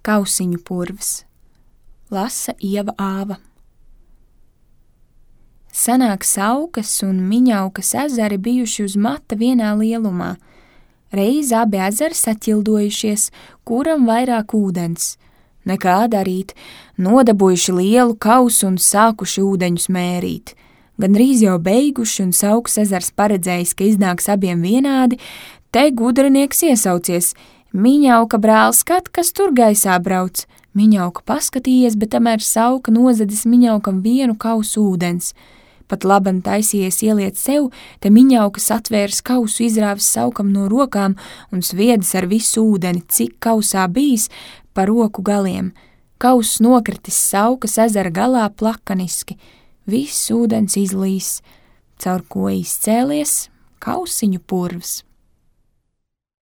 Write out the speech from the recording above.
Kausiņu purvs. Lasa Ieva Āva. Senāk Saukas un Miņaukas ezeri bijuši uz mata vienā lielumā. Reiz abi ezeri saķildojušies, kuram vairāk ūdens. Nekā darīt, nodabujuši lielu kausu un sākuši ūdeņus mērīt. Gandrīz jau beiguši un Saukas ezers paredzējis, ka iznāks abiem vienādi, te gudrinieks iesaucies: Miņauka brāl, skat, kas tur gaisā brauc. Miņauka paskatījies, bet tamēr Sauka nozadis Miņaukam vienu kausu ūdens. Pat laban taisījies ieliet sev, te Miņaukas atvērs kausu, izrāvis Saukam no rokām un sviedis ar visu ūdeni, cik kausā bijis, pa roku galiem. Kauss nokritis Saukas ezera galā plakaniski. Viss ūdens izlīs, caur ko izcēlies Kausiņu purvs.